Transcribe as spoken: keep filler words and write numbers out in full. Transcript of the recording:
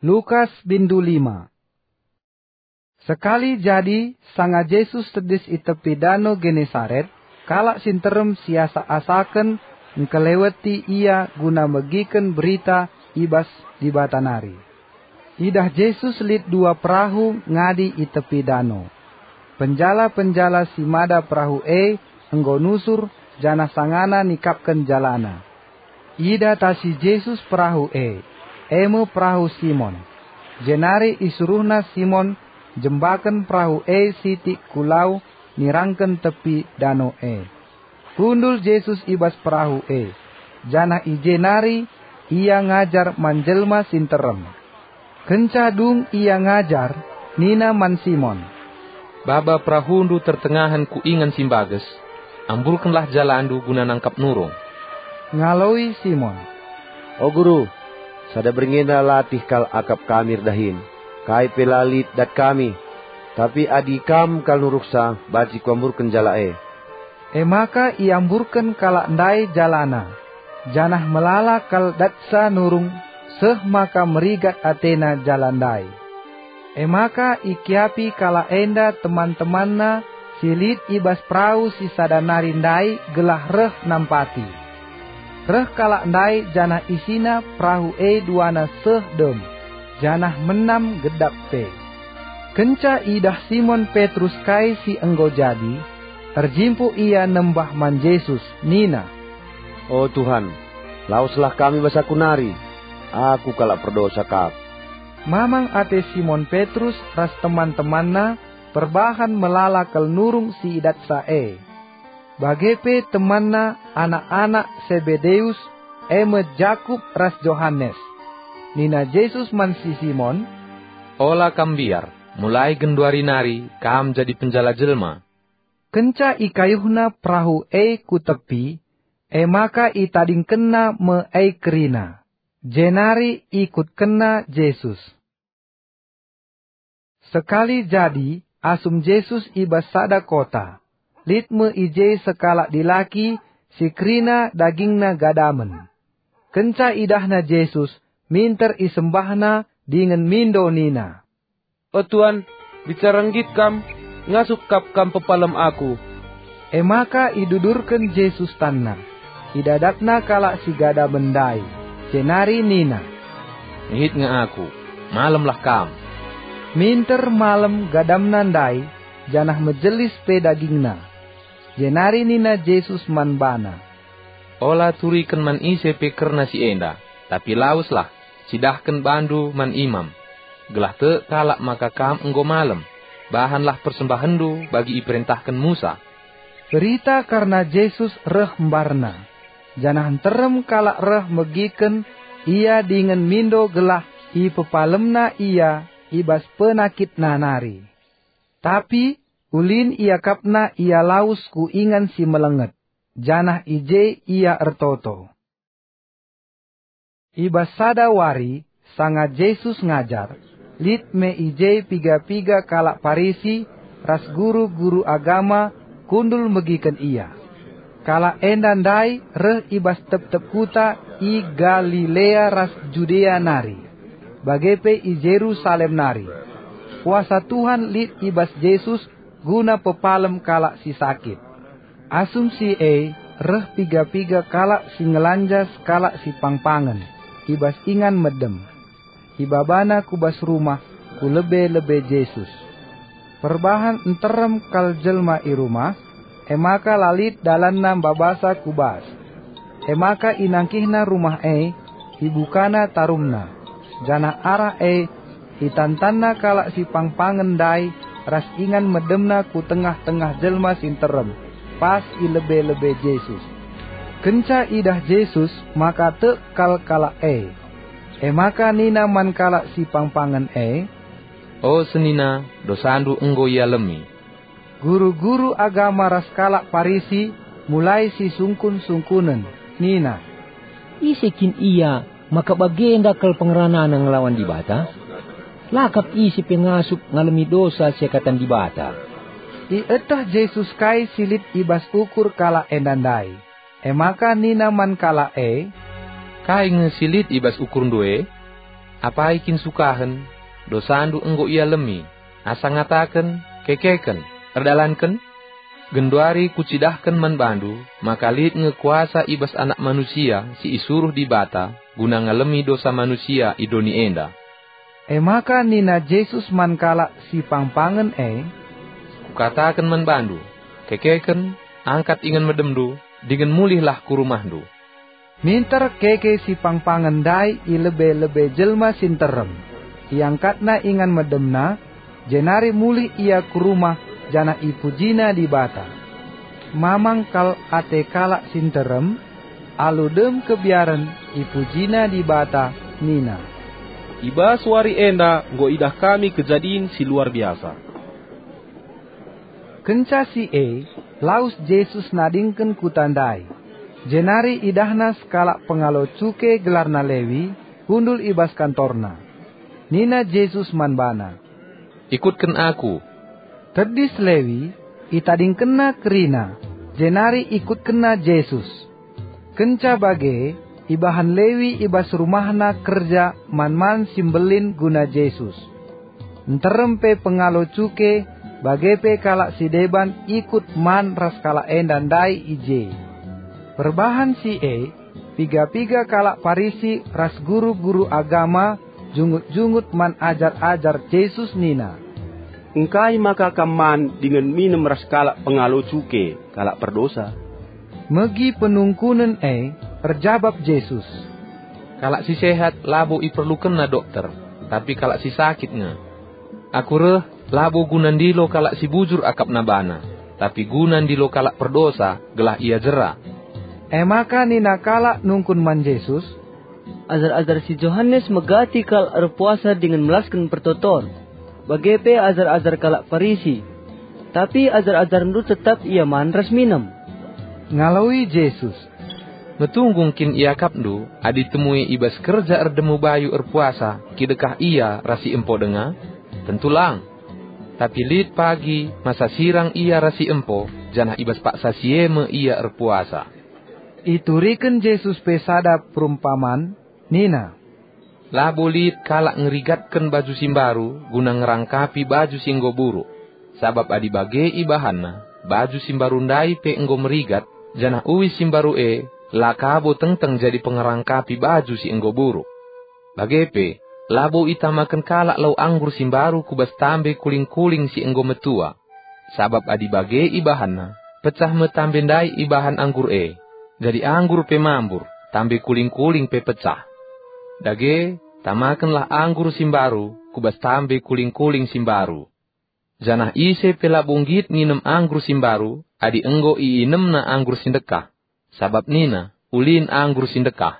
Lukas bindu lima. Sekali jadi, sanga Jesus tedis i tepi Dano Genesaret, kalak si nterem siasak-asaken ngkeleweti Ia guna megiken berita i bas Dibata nari. Idah Jesus lit dua perahu ngadi i tepi dano. Penjala-penjala si mada perahu e enggo nusur, janah sangana nikapken jalana. Idatasi Jesus perahu e, e me perahu Simon. Jenari isuruhNa Simon jembaken perahu e sitik ku lau nirangken tepi dano e. Kundul Jesus i bas perahu e, janah i je nari Ia ngajar man jelma si nterem. Kenca dung Ia ngajar, nina man Simon, "Baba perahundu tertengahen ku ingan si mbages, amburkenlah jalandu guna nangkap nurung." Ngaloi Simon, "O Guru, sada berngi enda latih kal akap kami erdahin, kai pe la lit dat kami. Tapi adi Kam kal nuruksa, banci kuamburken jala e." E maka iamburken kalak ndai jalana, janah melala kal datsa nurung seh maka merigat atena jala ndai. E maka ikiapi kalak enda teman-temanna si lit i bas perahu si sada nari ndai gelah reh nampati. Reh kalak ndai janah isina perahu e duana seh dem, janah menam gedap pe. Kenca idah Simon Petrus kai si enggo jadi, erjimpuh ia nembah man Jesus, nina, "O Tuhan, laweslah kami bas aku nari. Aku kalak perdosa kap." Mamang ate Simon Petrus ras teman-temanna perbahan melala kal nurung si idatsa e. Bage pe temanna anak-anak Sebedeus, e me Jakup ras Johanes. Nina Jesus man si Simon, "Ola kam mbiar, mulai genduari nari kam jadi penjala jelma." Kenca ikayuhna perahu e ku tepi, e maka itadingkenna me e kerina, jenari ikutkenna Jesus. Sekali jadi, asum Jesus i bas sada kota, lit me i je sekalak dilaki si kerina dagingna gadamen. Kenca idahna Jesus, minter isembahna dingen mindo nina, "O Tuan, bicara nggit Kam, ngasup kap Kam pepalem aku." E maka idudurken Jesus tanna, idadatna kalak si gadamen ndai, jenari nina, "Ngit nge aku, malemlah kam." Minter malem gadamna ndai, janah mejelis pe dagingna. Jenari nina Jesus man bana, "Ola turiken man ise pe kerna si enda, tapi laweslah, cidahken bandu man imam, gelah tek kalak maka kam enggo malem. Bahanlah persembahenndu bagi iperentahken Musa." Berita kerna Jesus reh mbarna, janah nterem kalak reh megiken Ia dingen mindo gelah ipepalemna Ia i bas penakitna nari. Tapi ulin iakapna Ia lawes ku ingan si melenget, janah i je Ia ertoto. I bas sada wari, sanga Jesus ngajar, lit me i je piga-piga kalak Parisi ras guru-guru agama kundul megiken Ia. Kalak enda ndai reh i bas tep-tep kuta i Galilea ras Judea nari, bage pe i Jerusalem nari. Kuasa Tuhan lit i bas Jesus guna pepalem kalak si sakit. Asum si e reh piga-piga kalak si ngelanja sekalak si pangpangen i bas ingan medem. Ibabana ku bas rumah ku lebe-lebe Jesus. Perbahan nterem kal jelma i rumah, e maka la lit dalanna mbabasa ku bas. E maka inangkihna rumah e, ibukana tarumna, janah arah e itantanna kalak si pangpangen ndai ras ingan medemna ku tengah-tengah jelma si nterem, pas i lebe-lebe Jesus. Kenca idah Jesus maka tek kal kalak e. E maka nina man kalak si pangpangen e, "O senina, dosandu enggo ialemi." Guru-guru agama ras kalak Parisi mulai sisungkun-sungkunen, nina, "Ise kin ia maka bagenda kal pengeranana ngelawan Dibata? La kap ise pe ngasup ngalemi dosa siakatan Dibata." Ieteh Jesus kai si lit i bas ukur kalak enda ndai. E maka nina man kalak e, "Kai nge si lit i bas ukurndu e?" Apai kin sukahen? Dosandu enggo ialemi. Asa ngataken, 'Kekeken, erdalanken'? Genduari kucidahken man bandu maka lit nge kuasa i bas Anak Manusia si isuruh Dibata guna ngalemi dosa manusia i doni enda." E maka nina Jesus man kalak si pangpangen e, "Kukataken man bandu, kekeken, angkat ingan medemndu, dingen mulihlah ku rumahndu." Minter keke si pangpangen ndai i lebe-lebe jelma si nterem. Iangkatna ingan medemna, jenari mulih ia ku rumah janah ipujina Dibata. Mamang kal ate kalak si nterem, alu dem kebiaren ipujina Dibata nina, "I bas wari enda enggo idah kami kejadin si luar biasa." Kenca si e, lawes Jesus nadingken kuta ndai. Jenari idahna sekalak pengalo cuke gelarna Lewi, kundul i bas kantorna. Nina Jesus man bana, "Ikutken Aku." Tedis Lewi, itadingkenna kerina, jenari ikutkenna Jesus. Kenca bage, ibahan Lewi i bas rumahna kerja man-man si mbelin guna Jesus. Nterem pe pengalo cuke, bage pe kalak si deban ikut man ras kalak enda ndai i je. Perbahan si e, piga-piga kalak Parisi ras guru-guru agama jungut-jungut man ajar-ajar Jesus nina, "Engkai maka kam man dingen minem ras kalak pengalo cuke, kalak perdosa?" Megi penungkunen e, erjabap Jesus, "Kalak si sehat labo iperlukenna dokter, tapi kalak si sakit nge. Aku reh labo guna ndilo kalak si bujur akapna bana, tapi guna ndilo kalak perdosa gelah ia jera." E maka nina kalak nungkun man Jesus, "Ajar-ajar si Johanes megati kal erpuasa dingen melasken pertoton, bage pe ajar-ajar kalak Parisi. Tapi ajar-ajarNdu tetap ia man ras minem." Ngaloi Jesus, "Metunggung kin iakapndu adi temue i bas kerja erdemu bayu erpuasa kidekah ia ras si empo denga? Tentu lang! Tapi lit pagi masa sirang ia ras si empo, janah i bas paksa si e me ia erpuasa." Ituriken Jesus pe sada perumpaman, nina, "Labo lit kalak ngerigatken baju si mbaru guna ngerangkapi baju si enggo buruk. Sabap adi bage ibahanna, baju si mbaru ndai pe enggo merigat, janah uis si mbaru e la ka bo tengteng jadi pengerangkapi baju si enggo buruk. Bage pe, labo itamaken kalak lau anggur si mbaru ku bas tambe kuling-kuling si enggo metua. Sabap adi bage ibahanna, pecah me tambe ndai ibahan anggur e, jadi anggur pe mambur, tambe kuling-kuling pe pecah. Dage, tamakenlah anggur si mbaru ku bas tambe kuling-kuling si mbaru. Janah ise pe labo nggit nginem anggur si mbaru adi enggo iinemna anggur si ndekah, sabap nina, 'Ulin anggur si ndekah.'"